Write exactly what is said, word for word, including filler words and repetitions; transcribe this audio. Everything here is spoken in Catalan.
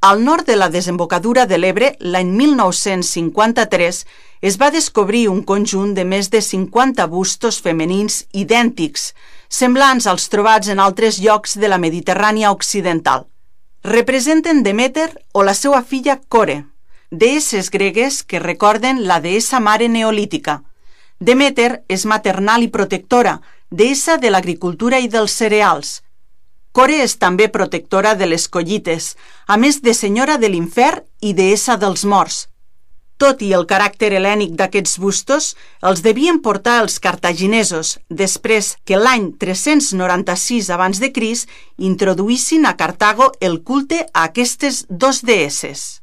Al nord de la desembocadura de l'Ebre, l'any mil nou-cents cinquanta-tres, es va descobrir un conjunt de més de cinquanta bustos femenins idèntics, semblants als trobats en altres llocs de la Mediterrània occidental. Representen Deméter o la seva filla Core, deesses gregues que recorden la deessa mare neolítica. Deméter és maternal i protectora, deessa de l'agricultura i dels cereals. Core és també protectora de les collites, a més de senyora de l'infern i deessa dels morts. Tot i el caràcter hel·lènic d'aquests bustos, els devien portar els cartaginesos, després que l'any tres-cents noranta-sis abans de Crist introduïssin a Cartago el culte a aquestes dos deesses.